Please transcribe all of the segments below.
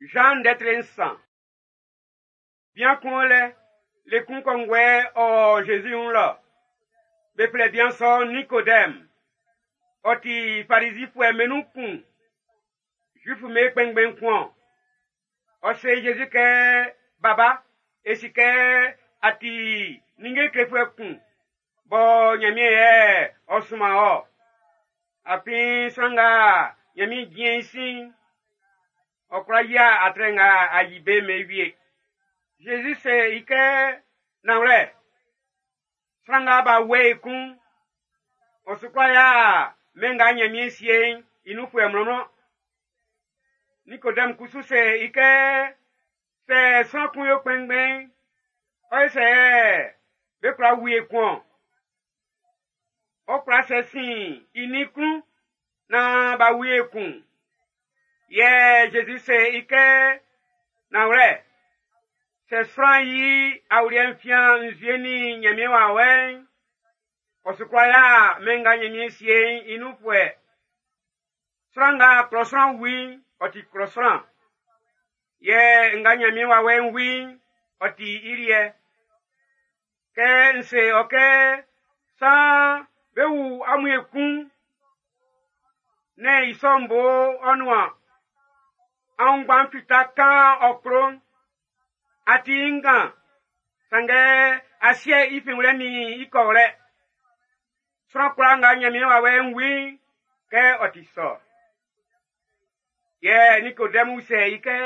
Jean ndɛ tre nsan. Bian kun o lɛ, le kun kɔnguɛ ɔ o Zezi wun lɔ. Be flɛ bian sɔ'n Nikodɛm. Ɔ ti Farizifuɛ'm be nun kun. Zuifu'm be kpɛnngbɛn kun-ɔn. Ɔ se Zezi kɛ, Baba, e si kɛ a ti ninnge klefuɛ kun bɔ Nyanmiɛn yɛ ɔ sunman wɔ. Afin sran nga Nyanmiɛn jin i sin'n, ɔ kwla yia atrɛ nga a yi be'n be wie. Zezi se i kɛ, Nanwlɛ, sran nga b'a wu i kun'n, ɔ su kwla yia mɛn nga Nyanmiɛn sie'n i nunfuɛ mlɔnmlɔn. Nikodɛm kusu se i kɛ, sɛ sran kun yo kpɛnngbɛn'n, ɔ ye sɛ yɛ be kwla wu i ekun-ɔn? Ɔ kwla sɛ sin i nin klun naan b'a wu i ekun. Yɛ Zezi se i kɛ, nanwlɛ, sɛ sran yi awuliɛ'n fian nzue nin Nyanmiɛn wawɛ'n, ɔ su kwla ya mɛn nga Nyanmiɛn sie'n i nunfuɛ. Sran nga klɔ sran wu i'n, ɔ ti klɔ sran. Yɛ nga Nyanmiɛn wawɛ'n wu i'n, ɔ ti i liɛ. Kɛ n se ɔ kɛ saan be wu amun ekun, nɛ́n i sɔ'n bo ɔ nuan. Aunngban'n fita kan ɔ klo'n, a ti i ngan, sanngɛ asiɛ i finwlɛ nin i kɔwlɛ. Sran kwlaa nga Nyanmiɛn wawɛ'n wu i'n, kɛ ɔ ti sɔ. Yɛ Nikodɛmu usɛ i kɛ,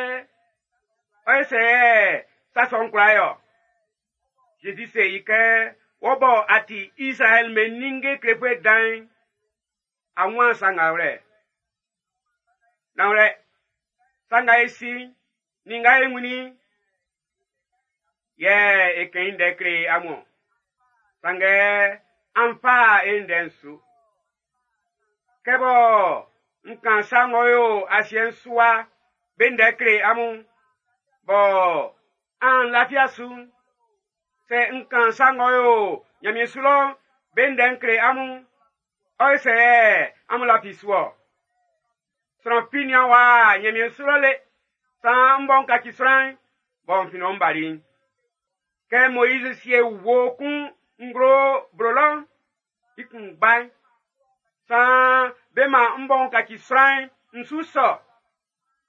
ɔ ye sɛ yɛ sa sɔ'n kwla yo? Zezi se i kɛ, wɔ bɔ a ti Izraɛl be ninnge klefuɛ dan'n, a wun sa nga wlɛ. Nanwlɛ, sa nga e si, nin nga e wun i'n, yɛ e kɛn i ndɛ kle amun. Sanngɛ an fa e ndɛ'n su. Kɛ bɔ n kan sa ng'ɔ yo asiɛ'n su wa be ndɛ kle amun, bɔ an lafia su'n, sɛ n kan sa ng'ɔ yo Nyanmiɛn su lɔ'n be ndɛ n kle amun, ɔ ye sɛ amun lafi su-ɔ? Sran fi nian wa Nyanmiɛn su lɔ le, saan m bɔ n kaci sran'n, bɔ n fin lɔ m bali'n. Kɛ Moiz sie wuo kun nglo blo lɔ'n, i kunngba'n, saan be man m bɔ n kaci sran'n n su sɔ.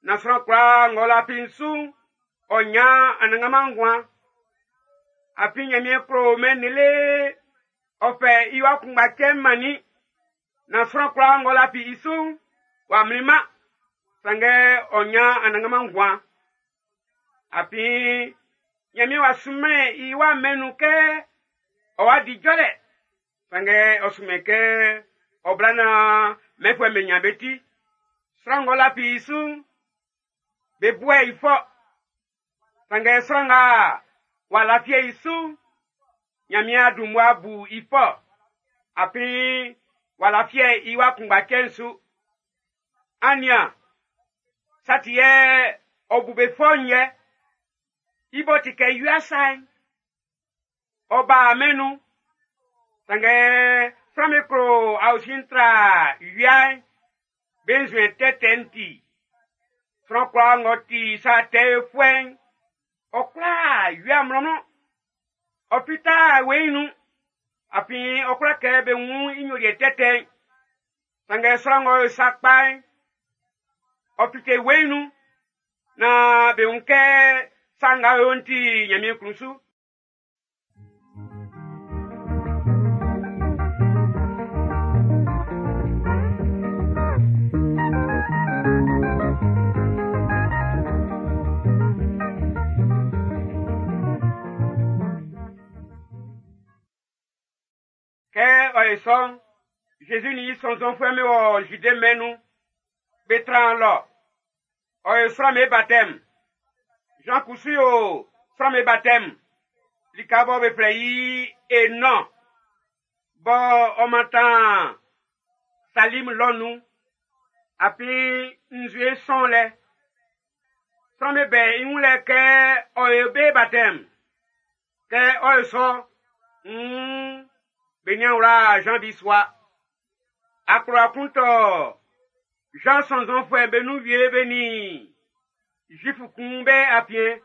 Na sran kwlaa ng'ɔ lafi n su'n, ɔ nyan Anannganman nguan. Afin Nyanmiɛn klo mɛn'n lele, ɔ fɛ i wa kunngba cɛ'n mannin. Na sran kwlaa ng'ɔ lafi i su'n, w'a mlinman, sanngɛ ɔ nyan Anannganman nguan. Afin Nyanmiɛn w'a sunmɛn i wa mɛn'n nun kɛ ɔ wa di jɔlɛ, sanngɛ ɔ sunmɛn kɛ ɔ bla naan mɛnfuɛ'm be nyan be ti. Sran ng'ɔ lafi i su'n, be buɛ i fɔ. Sanngɛ sran nga w'a lafi i su'n, Nyanmiɛn a dun mmua bu i fɔ. Afin w'a lafi i wa kunngba cɛ'n su. An nian, sa ti yɛ ɔ bu be fɔ'n yɛ. I b'ɔ ti kɛ wia sa'n, ɔ ba mɛn'n nun. Sanngɛ sran'm be klo aosin'n tra wia'n, be nzuɛn tɛtɛ'n ti. Sran kwlaa ng'ɔ ti sa tɛ yofuɛ'n, ɔ kwla wia mlɔnmlɔn. Ɔ fita weiin nun, afin ɔ kwla kɛ be wun i nyoliɛ tɛtɛ'n. Sanngɛ sran ng'ɔ yo sa kpa'n, ɔ fite weiin nun, naan be wun kɛ sa nga ɔ yo'n ti Nyanmiɛn klun su. Kɛ ɔ ye sɔ'n, Zezi nin i sɔnnzɔnfuɛ'm be wɔ Zude mɛn'n nun, be tran lɔ. Ɔ yo sran'm be batɛm. Jean kusu yo sran'm be batɛm. Lika bɔ be flɛ i Enɔn, bɔ ɔ mantan Salim lɔ nun. Afin nzue sɔn lɛ. Sran'm be bɛ i wun lɛ kɛ ɔ yo be batɛm. Kɛ ɔ yo sɔ, be nian wla Jean bisua. Akplowa kun tɔ Jean sɔnnzɔnfuɛ'm be nun wie be nin Zuifu kun be afiɛn.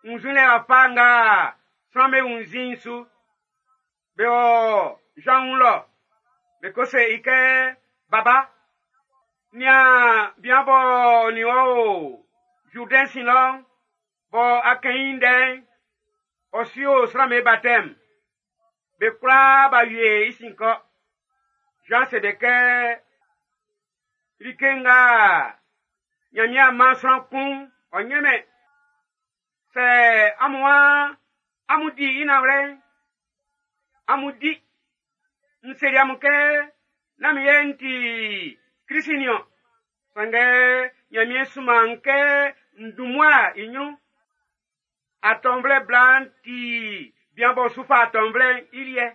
Wunnzinlɛ wafa nga sran'm be wunnzin'n su. Be wɔ Zan wun lɔ, be ko se i kɛ, Baba, nian bian b'ɔ nin wɔ o Zurdɛn sin lɔ'n, bɔ a kɛn i ndɛ'n, ɔ su yo sran'm be batɛm. Be kwlaa b'a wie i sin kɔ. Zan se be kɛ, like nga Ɲanmiɛn a man sran kun, ɔ ɲɛnmɛn. Sɛ amun waan amun di i nanwlɛ'n, amun di. N seli amun kɛ, nán min yɛ n ti Klisi niɔn. Sanngɛ Ɲanmiɛn sunman n kɛ n dun mmua i ɲrun. Atɔnvlɛ bla'n ti bian b'ɔ su fa atɔnvlɛ'n i liɛ.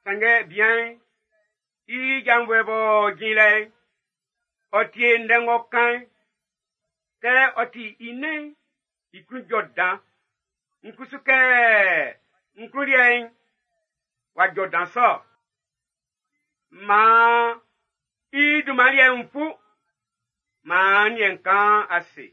Sanngɛ bian'n i janvuɛ b'ɔ jin lɛ'n, ɔ tie ndɛ ng'ɔ kan'n. Kɛ ɔ ti i nɛn'n, i klun jɔ dan. N kusu kɛ n klun liɛ'n w'a jɔ dan sɔ. Maan i dunman liɛ'n fu, maan n liɛ'n kan ase.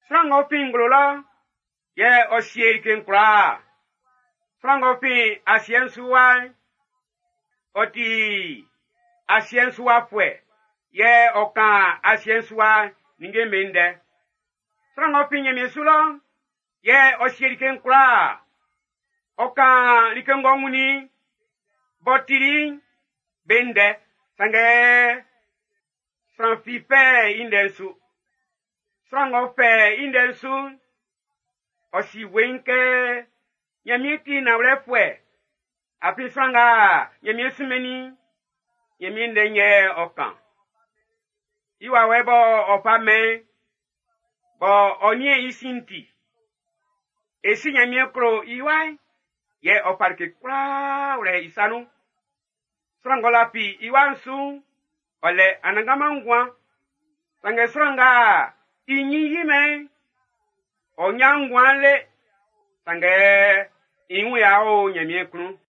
Sran ng'ɔ fin nglo lɔ'n, yɛ ɔ sie like'n kwlaa. Sran ng'ɔ fin asiɛ'n su wa'n, ɔ ti asiɛ'n su wafuɛ, yɛ ɔ kan asiɛ'n su wa ninnge'm be ndɛ. Sran ng'ɔ fin Ɲanmiɛn su lɔ'n, yɛ ɔ sie like'n kwlaa. Ɔ kan like ng'ɔ wunnin b'ɔ tili'n be ndɛ, sanngɛ sran fi fɛ i ndɛ'n su. Sran ng'ɔ fɛ i ndɛ'n su'n, ɔ si weiin kɛ Ɲanmiɛn ti nanwlɛfuɛ. Afin sran nga Ɲanmiɛn sunmɛnnin i'n, Ɲanmiɛn ndɛ'n yɛ ɔ kan. I wawɛ bɔ ɔ fa mɛn bɔ ɔ niɛn i sin'n ti. E si Ɲanmiɛn klo i wa'n, yɛ ɔ fa like kwlaa wlɛ i sa nun. Sran ng'ɔ lafi i wa'n su'n, ɔ lɛ anannganman nguan. Sanngɛ sran nga i ɲin yi mɛn'n, ɔ ɲan nguan le. Sanngɛ i wun ya o Ɲanmiɛn klun.